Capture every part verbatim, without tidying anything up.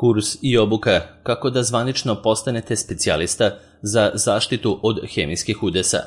Kurs i obuka kako da zvanično postanete specijalista za zaštitu od hemijskih udesa.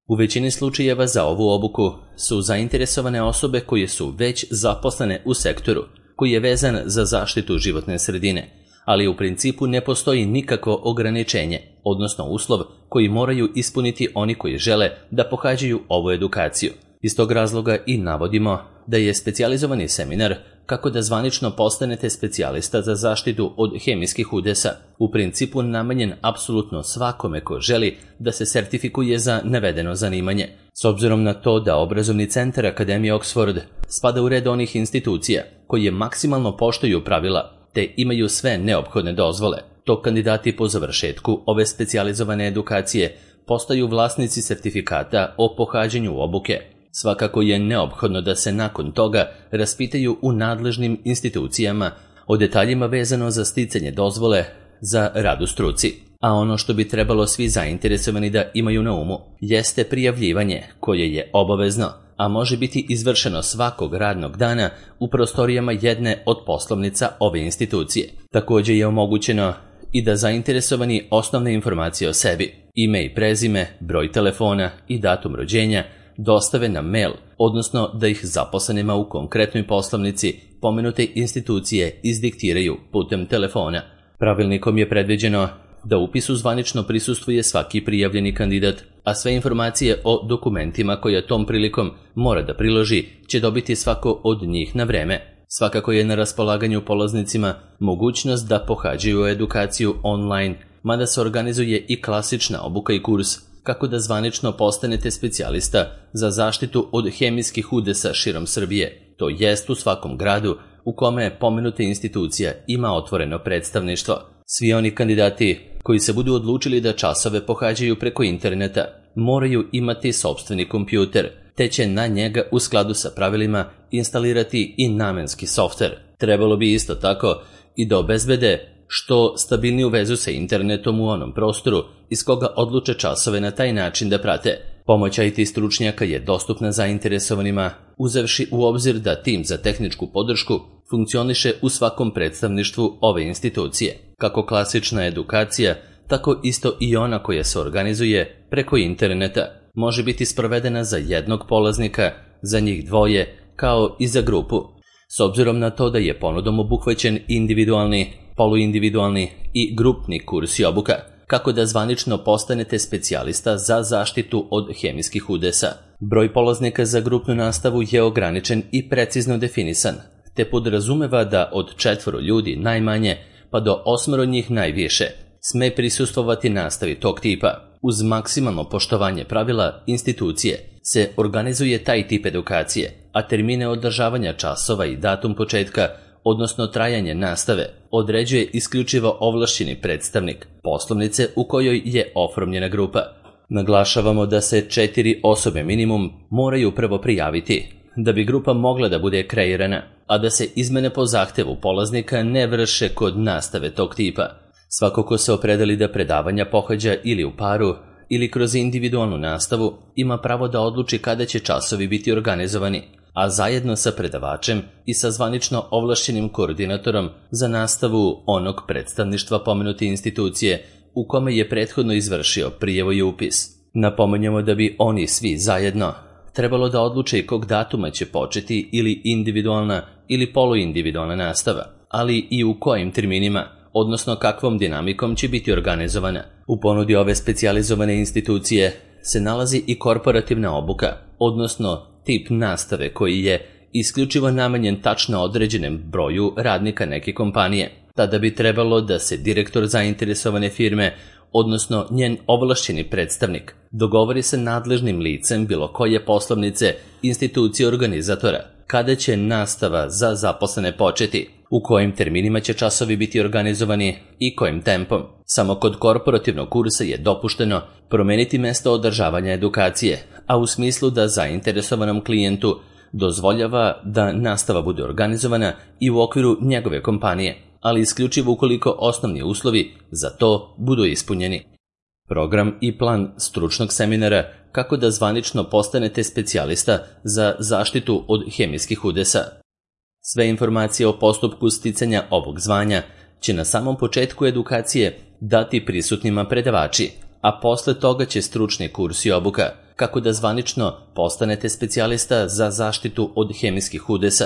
U većini slučajeva za ovu obuku su zainteresovane osobe koje su već zaposlene u sektoru koji je vezan za zaštitu životne sredine, ali u principu ne postoji nikakvo ograničenje, odnosno uslov koji moraju ispuniti oni koji žele da pohađaju ovu edukaciju. Iz tog razloga i navodimo da je specijalizovani seminar kako da zvanično postanete specijalista za zaštitu od hemijskih udesa u principu namenjen apsolutno svakome ko želi da se sertifikuje za navedeno zanimanje. S obzirom na to da obrazovni centar Akademije Oxford spada u red onih institucija koje maksimalno poštuju pravila te imaju sve neophodne dozvole, to kandidati po završetku ove specijalizovane edukacije postaju vlasnici sertifikata o pohađanju obuke. Svakako je neophodno da se nakon toga raspitaju u nadležnim institucijama o detaljima vezano za sticanje dozvole za rad u struci. A ono što bi trebalo svi zainteresovani da imaju na umu jeste prijavljivanje koje je obavezno, a može biti izvršeno svakog radnog dana u prostorijama jedne od poslovnica ove institucije. Također je omogućeno i da zainteresovani osnovne informacije o sebi, ime i prezime, broj telefona i datum rođenja dostave na mail, odnosno da ih zaposlenima u konkretnoj poslovnici pomenute institucije izdiktiraju putem telefona. Pravilnikom je predviđeno da upisu zvanično prisustvuje svaki prijavljeni kandidat, a sve informacije o dokumentima koje tom prilikom mora da priloži će dobiti svako od njih na vreme. Svakako je na raspolaganju polaznicima mogućnost da pohađaju edukaciju online, mada se organizuje i klasična obuka i kurs kako da zvanično postanete specijalista za zaštitu od hemijskih udesa širom Srbije, to jest u svakom gradu u kome pomenuta institucija ima otvoreno predstavništvo. Svi oni kandidati koji se budu odlučili da časove pohađaju preko interneta moraju imati sopstveni kompjuter, te će na njega u skladu sa pravilima instalirati i namenski softver. Trebalo bi isto tako i da obezbede što stabilniju vezu sa internetom u onom prostoru iz koga odluče časove na taj način da prate. Pomoć I T stručnjaka je dostupna zainteresovanima, uzevši u obzir da tim za tehničku podršku funkcioniše u svakom predstavništvu ove institucije. Kako klasična edukacija, tako isto i ona koja se organizuje preko interneta može biti sprovedena za jednog polaznika, za njih dvoje, kao i za grupu. S obzirom na to da je ponudom obuhvaćen individualni, poluindividualni i grupni kurs i obuka, kako da zvanično postanete specijalista za zaštitu od hemijskih udesa. Broj polaznika za grupnu nastavu je ograničen i precizno definisan, te podrazumeva da od četvoro ljudi najmanje pa do osmoro njih najviše sme prisustvovati nastavi tog tipa. Uz maksimalno poštovanje pravila institucije se organizuje taj tip edukacije, a termine održavanja časova i datum početka, odnosno trajanje nastave, određuje isključivo ovlašćeni predstavnik poslovnice u kojoj je oformljena grupa. Naglašavamo da se četiri osobe minimum moraju prvo prijaviti da bi grupa mogla da bude kreirana, a da se izmene po zahtevu polaznika ne vrše kod nastave tog tipa. Svako ko se opredeli da predavanja pohađa ili u paru ili kroz individualnu nastavu ima pravo da odluči kada će časovi biti organizovani, a zajedno sa predavačem i sa zvanično ovlašćenim koordinatorom za nastavu onog predstavništva pomenute institucije u kome je prethodno izvršio prijavu i upis. Napominjemo da bi oni svi zajedno trebalo da odluče kog datuma će početi ili individualna ili poluindividualna nastava, ali i u kojim terminima, odnosno kakvom dinamikom će biti organizovana. U ponudi ove specijalizovane institucije se nalazi i korporativna obuka, odnosno tip nastave koji je isključivo namenjen tačno određenem broju radnika neke kompanije. Tada bi trebalo da se direktor zainteresovane firme, odnosno njen ovlašćeni predstavnik, dogovori sa nadležnim licem bilo koje poslovnice institucije organizatora kada će nastava za zaposlene početi, u kojim terminima će časovi biti organizovani i kojim tempom. Samo kod korporativnog kursa je dopušteno promeniti mesto održavanja edukacije, a u smislu da zainteresovanom klijentu dozvoljava da nastava bude organizovana i u okviru njegove kompanije, ali isključivo ukoliko osnovni uslovi za to budu ispunjeni. Program i plan stručnog seminara kako da zvanično postanete specijalista za zaštitu od hemijskih udesa. Sve informacije o postupku sticanja ovog zvanja će na samom početku edukacije dati prisutnima predavači, a posle toga će stručni kurs i obuka kako da zvanično postanete specijalista za zaštitu od hemijskih udesa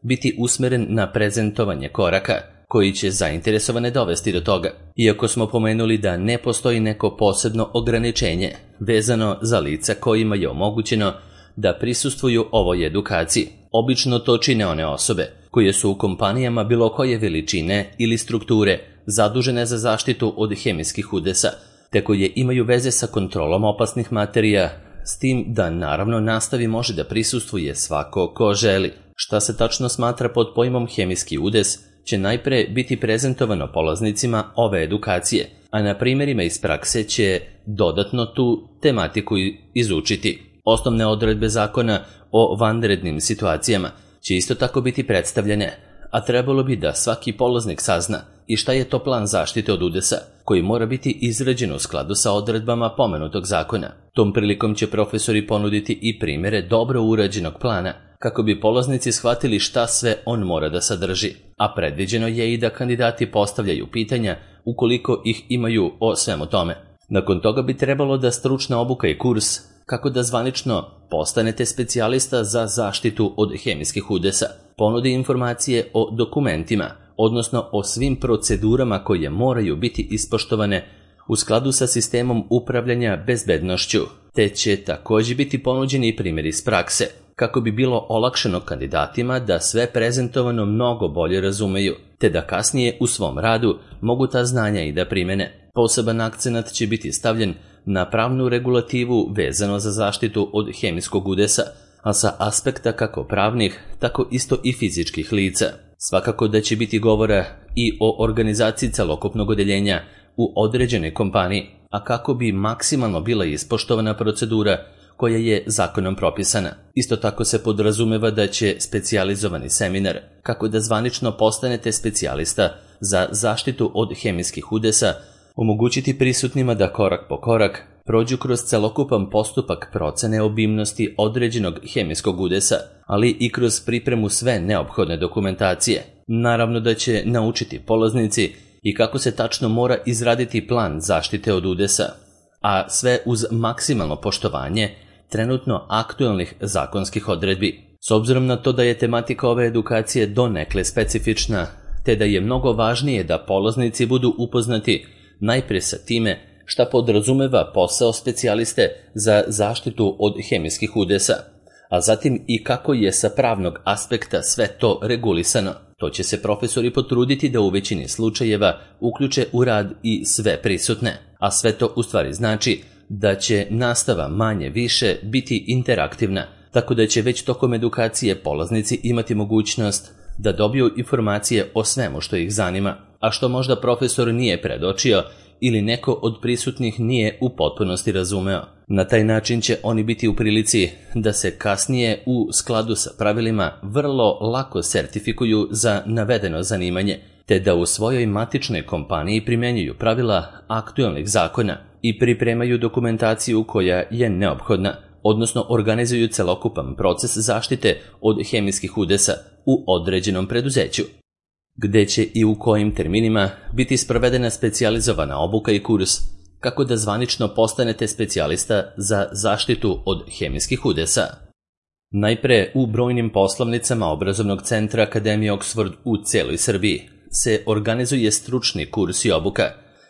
biti usmeren na prezentovanje koraka koji će zainteresovane dovesti do toga. Iako smo pomenuli da ne postoji neko posebno ograničenje vezano za lica kojima je omogućeno da prisustvuju ovoj edukaciji, obično to čine one osobe koje su u kompanijama bilo koje veličine ili strukture zadužene za zaštitu od hemijskih udesa, te koje imaju veze sa kontrolom opasnih materija, s tim da naravno nastavi može da prisustvuje svako ko želi. Šta se tačno smatra pod pojmom hemijski udes će najpre biti prezentovano polaznicima ove edukacije, a na primjerima iz prakse će dodatno tu tematiku izučiti. Osnovne odredbe zakona o vanrednim situacijama će isto tako biti predstavljene, a trebalo bi da svaki polaznik sazna i šta je to plan zaštite od udesa, koji mora biti izrađen u skladu sa odredbama pomenutog zakona. Tom prilikom će profesori ponuditi i primjere dobro urađenog plana, kako bi polaznici shvatili šta sve on mora da sadrži, a predviđeno je i da kandidati postavljaju pitanja ukoliko ih imaju o svemu tome. Nakon toga bi trebalo da stručna obuka i kurs kako da zvanično postanete specijalista za zaštitu od hemijskih udesa ponudi informacije o dokumentima, odnosno o svim procedurama koje moraju biti ispoštovane u skladu sa sistemom upravljanja bezbednošću, te će također biti ponuđeni i primjeri iz prakse, kako bi bilo olakšano kandidatima da sve prezentovano mnogo bolje razumeju, te da kasnije u svom radu mogu ta znanja i da primene. Poseban akcenat će biti stavljen na pravnu regulativu vezano za zaštitu od hemijskog udesa, a sa aspekta kako pravnih, tako isto i fizičkih lica. Svakako da će biti govora i o organizaciji celokupnog odeljenja u određenoj kompaniji, a kako bi maksimalno bila ispoštovana procedura koja je zakonom propisana. Isto tako se podrazumeva da će specijalizovani seminar, kako da zvanično postanete specijalista za zaštitu od hemijskih udesa, omogućiti prisutnima da korak po korak prođu kroz celokupan postupak procene obimnosti određenog hemijskog udesa, ali i kroz pripremu sve neophodne dokumentacije. Naravno da će naučiti polaznici i kako se tačno mora izraditi plan zaštite od udesa, a sve uz maksimalno poštovanje trenutno aktualnih zakonskih odredbi. S obzirom na to da je tematika ove edukacije donekle specifična, te da je mnogo važnije da polaznici budu upoznati najprije sa time šta podrazumeva posao specijaliste za zaštitu od hemijskih udesa, a zatim i kako je sa pravnog aspekta sve to regulisano. To će se profesori potruditi da u većini slučajeva uključe u rad i sve prisutne, a sve to u stvari znači da će nastava manje više biti interaktivna, tako da će već tokom edukacije polaznici imati mogućnost da dobiju informacije o svemu što ih zanima, a što možda profesor nije predočio ili neko od prisutnih nije u potpunosti razumeo. Na taj način će oni biti u prilici da se kasnije u skladu sa pravilima vrlo lako sertifikuju za navedeno zanimanje, te da u svojoj matičnoj kompaniji primjenjuju pravila aktualnih zakona i pripremaju dokumentaciju koja je neophodna, odnosno organizuju celokupan proces zaštite od hemijskih udesa u određenom preduzeću, gde će i u kojim terminima biti sprovedena specijalizovana obuka i kurs, kako da zvanično postanete specijalista za zaštitu od hemijskih udesa. Najpre u brojnim poslovnicama obrazovnog centra Akademije Oxford u celoj Srbiji se organizuje stručni kurs i obuka,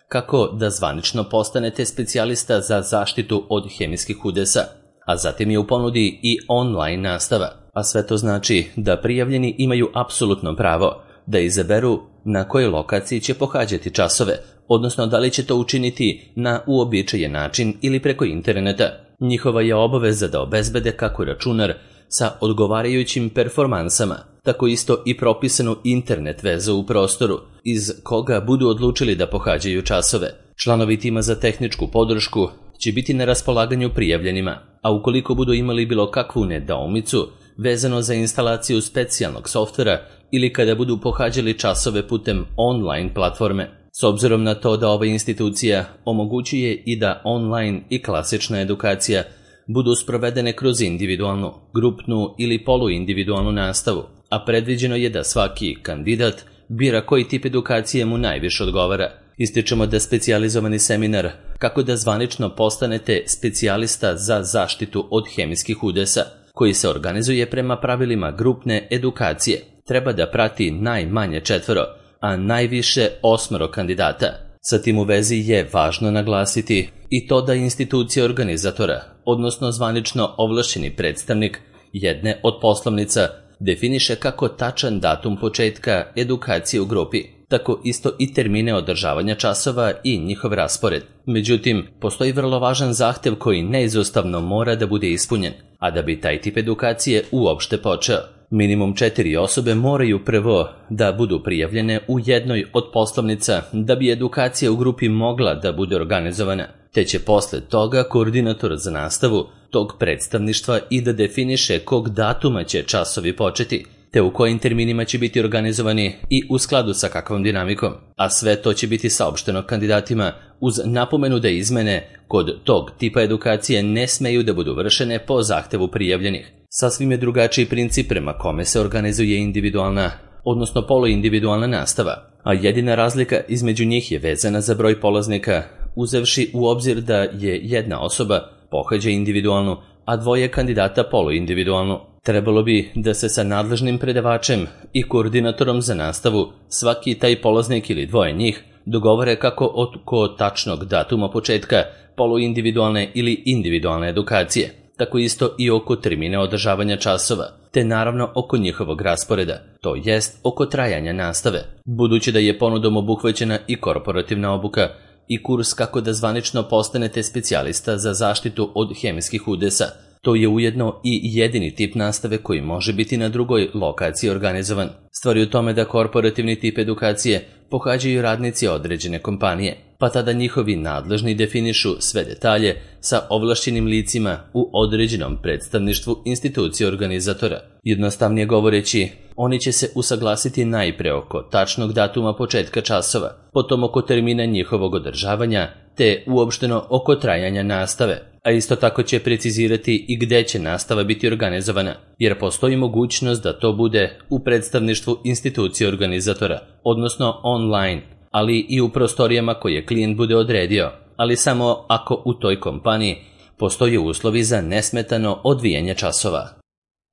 kako da zvanično postanete specijalista za zaštitu od hemijskih udesa, a zatim je u ponudi i online nastava, a sve to znači da prijavljeni imaju apsolutno pravo da izaberu na kojoj lokaciji će pohađati časove, odnosno da li će to učiniti na uobičajen način ili preko interneta. Njihova je obaveza da obezbede kako računar sa odgovarajućim performansama, tako isto i propisanu internet vezu u prostoru, iz koga budu odlučili da pohađaju časove. Članovi tima za tehničku podršku će biti na raspolaganju prijavljenima, a ukoliko budu imali bilo kakvu nedoumicu vezano za instalaciju specijalnog softvera ili kada budu pohađali časove putem online platforme. S obzirom na to da ova institucija omogućuje i da online i klasična edukacija budu sprovedene kroz individualnu, grupnu ili poluindividualnu nastavu, a predviđeno je da svaki kandidat bira koji tip edukacije mu najviše odgovara. Ističemo da specijalizovani seminar kako da zvanično postanete specijalista za zaštitu od hemijskih udesa, koji se organizuje prema pravilima grupne edukacije, treba da prati najmanje četvoro, a najviše osmoro kandidata. Sa tim u vezi je važno naglasiti i to da institucija organizatora, odnosno zvanično ovlašćeni predstavnik jedne od poslovnica, definiše kako tačan datum početka edukacije u grupi, tako isto i termine održavanja časova i njihov raspored. Međutim, postoji vrlo važan zahtev koji neizostavno mora da bude ispunjen, a da bi taj tip edukacije uopšte počeo. Minimum četiri osobe moraju prvo da budu prijavljene u jednoj od poslovnica da bi edukacija u grupi mogla da bude organizovana, te će posle toga koordinator za nastavu tog predstavništva i da definiše kog datuma će časovi početi, te u kojim terminima će biti organizovani i u skladu sa kakvom dinamikom, a sve to će biti saopšteno kandidatima uz napomenu da izmene kod tog tipa edukacije ne smeju da budu vršene po zahtevu prijavljenih. Sasvim je drugačiji princip prema kome se organizuje individualna, odnosno poluindividualna nastava, a jedina razlika između njih je vezana za broj polaznika, uzevši u obzir da je jedna osoba pohađa individualnu, a dvoje kandidata poluindividualnu. Trebalo bi da se sa nadležnim predavačem i koordinatorom za nastavu svaki taj polaznik ili dvoje njih dogovore kako oko tačnog datuma početka poluindividualne ili individualne edukacije, tako isto i oko termina održavanja časova, te naravno oko njihovog rasporeda, to jest oko trajanja nastave. Budući da je ponudom obuhvaćena i korporativna obuka i kurs kako da zvanično postanete specijalista za zaštitu od hemijskih udesa, to je ujedno i jedini tip nastave koji može biti na drugoj lokaciji organizovan. Stvar je u tome da korporativni tip edukacije pohađaju radnici određene kompanije, pa tada njihovi nadležni definišu sve detalje sa ovlašćenim licima u određenom predstavništvu institucije organizatora. Jednostavnije govoreći, oni će se usaglasiti najpre oko tačnog datuma početka časova, potom oko termina njihovog održavanja, te uopšteno oko trajanja nastave, a isto tako će precizirati i gde će nastava biti organizovana, jer postoji mogućnost da to bude u predstavništvu institucije organizatora, odnosno online, ali i u prostorijama koje klijent bude odredio, ali samo ako u toj kompaniji postoje uslovi za nesmetano odvijanje časova.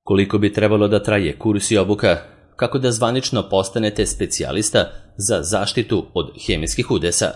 Koliko bi trebalo da traje kurs i obuka kako da zvanično postanete specijalista za zaštitu od hemijskih udesa?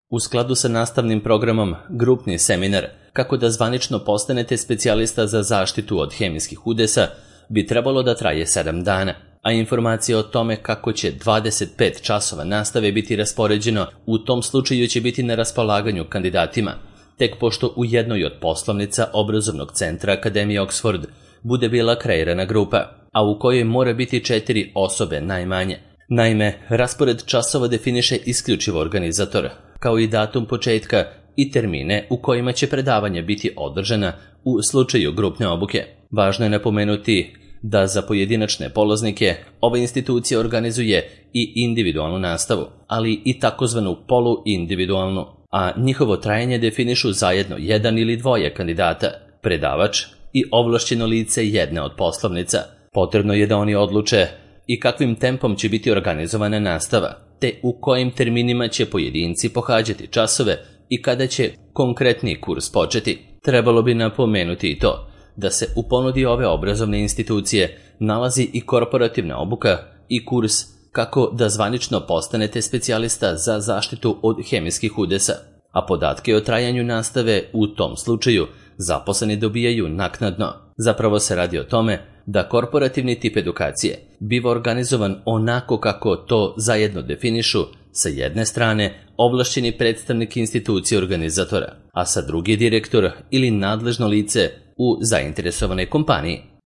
U skladu sa nastavnim programom Grupni seminar kako da zvanično postanete specijalista za zaštitu od hemijskih udesa bi trebalo da traje sedam dana, a informacije o tome kako će dvadeset pet časova nastave biti raspoređeno u tom slučaju će biti na raspolaganju kandidatima, tek pošto u jednoj od poslovnica obrazovnog centra Akademije Oxford bude bila kreirana grupa, a u kojoj mora biti četiri osobe najmanje. Naime, raspored časova definiše isključivo organizator, kao i datum početka i termine u kojima će predavanja biti održana u slučaju grupne obuke. Važno je napomenuti da za pojedinačne polaznike ova institucija organizuje i individualnu nastavu, ali i takozvanu poluindividualnu, a njihovo trajanje definišu zajedno jedan ili dvoje kandidata, predavač i ovlašćeno lice jedne od poslovnica. Potrebno je da oni odluče i kakvim tempom će biti organizovana nastava, te u kojim terminima će pojedinci pohađati časove i kada će konkretni kurs početi. Trebalo bi napomenuti i to da se u ponudi ove obrazovne institucije nalazi i korporativna obuka i kurs kako da zvanično postanete specijalista za zaštitu od hemijskih udesa, a podatke o trajanju nastave u tom slučaju zaposleni dobijaju naknadno. Zapravo se radi o tome da korporativni tip edukacije biva organizovan onako kako to zajedno definišu sa jedne strane ovlašćeni predstavnik institucije organizatora, a sa druge direktor ili nadležno lice u zainteresovanoj kompaniji.